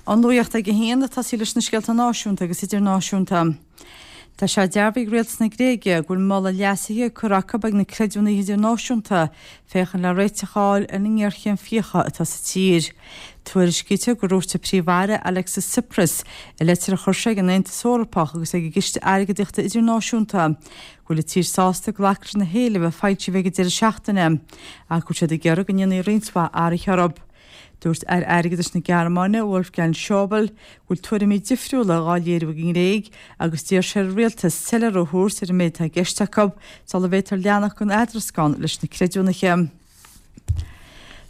An Nuacht ag a haon, ag tosaí leis na scéalta náisiúnta agus idirnáisiúnta. Tá sé dearbhaithe ag Rialtas na Gréige go bhfuil moladh leasaithe curtha acu ag na creidiúnaithe idirnáisiúnta féachaint le réiteach a fháil ar an ngéarchéim fiacha atá sa tír. Tuairiscítear gur dhúirt an Príomh-Aire Alexis Tsipras i leitir a chuir sé ag an Aontas Eorpach agus ag an gCiste Airgeadaíochta Idirnáisiúnta go bhfuil an tír sásta glacadh leis na héilimh a foilsíodh ag an deireadh seachtaine ach go bhfuil siad ag iarraidh go ndéanfaí roinnt mhaith athruithe orthu. Dúirt Aire Airgeadais na Gearmáine, Wolfgang Schäuble, go bhfuil tuairimí difriúla dhá léiriú ag an nGréig agus d'iarr sé ar an rialtas soiléiriú a thabhairt ar an méid atá i gceist acu sula bhféadfar leanacht den eadrascán leis na creidiúnaithe.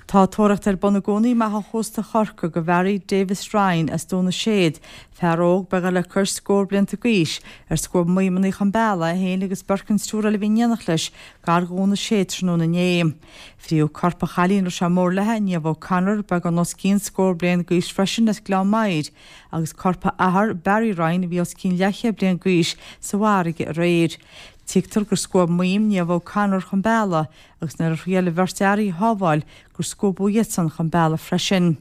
Tá tóraíocht ar bun i gcónaí amach ó chósta Chorcaí do Bharry Davis Ryan as Dún na Séad, fear óg beagán le cois scór blianta d'aois, ar scuab maidhmeanna chun bealaigh, é féin agus beirt den triúr eile a bhí in éineacht leis, gar do Dhún na Séad tráthnóna inné. Fríothadh corp an chailín a raibh sé mór léi, Niamh O'Connor, beagán os cionn scór bliain d'aois freisin, as Gleann Maghair, agus corp a athar, Barry Ryan, a bhí os cionn leathchéad bliain d'aois, sa bhfarraige aréir. Tuigtear gur scuab maidhm Niamh O'Connor chun bealaigh agus nuair a thriail an bheirt fhear í a shábháil gur scuabadh iadsan chun bealaigh freisin.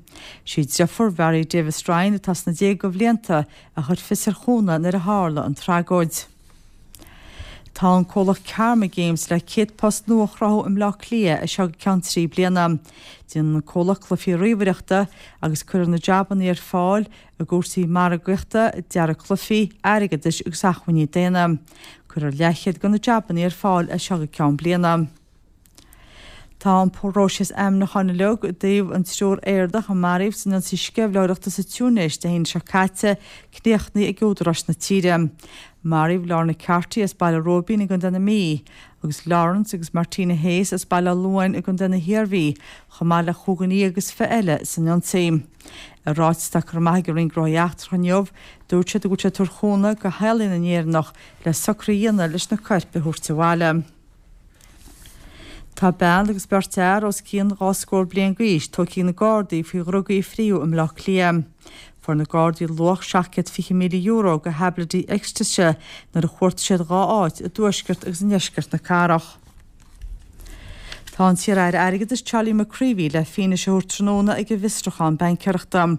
Sí deirfiúr Bharry Davis Ryan, atá sna déaga bhlianta, a chuir fios ar chúnamh nuair a tharla an tragóid. Tá an comhlacht Karma Games le 100 post nua a chruthú i mBleá Cliath as seo go ceann 3 bliana. Déanann an comhlacht cluichí ríomhaireachta agus cuirfear na jabanna ar fáil i gcúrsaí margaíochta, dearadh cluichí, airgeadais agus acmhainní daonna. Cuirfear leathchéad de na jabanna ar fáil as seo go ceann bliana. Tá an próiseas ainmniúcháin uilig i dtaobh an triúr Éireannach a maraíodh san ionsaí sceimhlitheoireachta sa Túinéis Dé hAoine seo caite críochnaithe ag údaráis na tíre. Maraíodh Lorna Carty as Baile Róibín i gContae na Mí, agus Lawrence agus Martina Hayes as Baile Átha Luain i gContae na hIarmhí, chomh maith le chúig dhuine dhéag agus 20 eile san ionsaí. I ráiteas atá curtha amach ag an Roinn Gnóthaí Eachtracha inniu, dúirt siad go bhfuil siad ag tabhairt chúnamh do theaghlaigh na nÉireannach le socruithe a dhéanamh leis na coirp a thabhairt abhaile. Tá bean agus beirt fhear os cionn 2 scór bliain d'aois tógtha ag na Gardaí faoi dhrugaí a fríothadh i mBleá Cliath. Fuair na Gardaí luach €720,000 de thaibléidí ecstaise nuair a chuartaigh siad 2 áit i dtuaisceart agus i ndeisceart na cathrach. Tá an t-iar-aire airgeadais Charlie McCreevy le fianaise a thabhairt tráthnóna ag an bhfiosrúchán baincéireachta.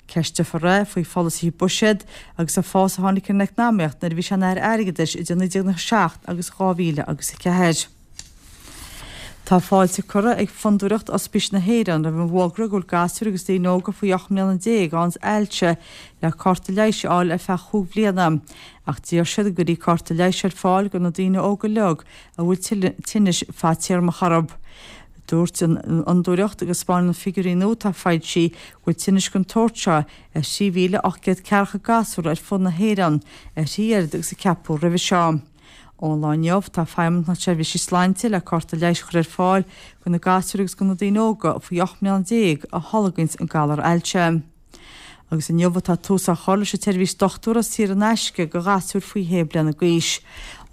Ceisteofar é faoi pholasaithe buiséid agus an fás a tháinig ar an eacnamaíocht nuair a bhí sé ina Aire Airgeadais idir 1997 agus 2004. Tá fáilte curtha ag Fondúireacht Ospís na hÉireann roimh an bhfógra go bhfuil gasúir agus daoine óga faoi 18 mbliana ann ailse le cárta leighis a fháil ar feadh chúig bhliana. Ach d'iarr siad go gcuirfí cárta leighis ar fáil do na daoine óga uilig a bhfuil tinnis fadtéarmacha orthu. Dúirt an Fhondúireacht go 'spáineann na figiúirí nua atá foilsithe go bhfuil tinnis den tsórt seo ar 3,840 gasúr ar fud na hÉireann, ar thrí oiread agus a ceapadh roimhe seo. Ón lá inniu, tá Feidhmeannacht na Seirbhíse Sláinte le cárta leighis a chur ar fáil do na gasúir agus do na daoine óga faoi 18 mbliana a tholgaíonns an galar ailse. Agus inniu atá tús á chur leis an tseirbhís dochtúra saor in aisce do ghasúir faoi shé bliana d'aois.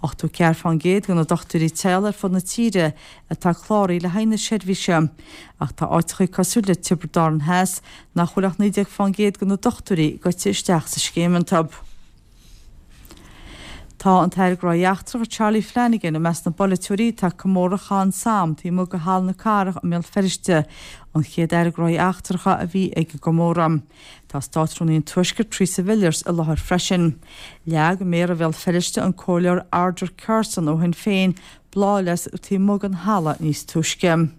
84% de na dochtúirí teaghlaigh ar fud na tíre atá cláraithe le haghaidh na seirbhíse. Ach tá áiteachaí cosúil le Tiobraid Árann Theas nach bhfuil ach 19% de na dochtúirí gaibhte isteach sa scéim iontu. Tá an tAire Gnóthaí Eachtracha Charlie Flanagan i measc na bpolaiteoirí atá ag comóradh Chath an Somme taobh amuigh de Halla na Cathrach i mBéal Feirste, an chéad Aire Gnóthaí Eachtracha a bhí ag an gcomóradh. Tá Státrúnaí an Tuaiscirt Theresa Villiers i láthair freisin. Leag Méara Bhéal Feirste, an Comhairleoir Arthur Carson ó Shinn Féin, bláthfhleasc taobh amuigh den halla níos túisce.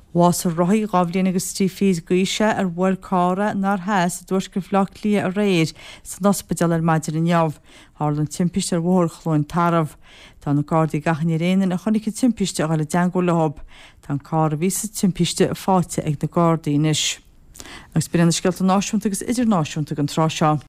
Bhásaigh rothaí 2 bhliain agus 3 fichid d'aois é ar bhuail carr é in Theas i dtuaisceart Bhaile Átha Cliath aréir san ospidéal ar maidin inniu. Tharla an timpiste ar Bhóthar Chluain Tarbh. Tá na Gardaí ag achainí ar aon duine a chonaic an timpiste a dhul i dteangmháil leo. Tá an carr a bhí sa timpiste faighte ag na Gardaí anois. Agus b'in iad na scéalta náisiúnta agus idirnáisiúnta don tráth seo.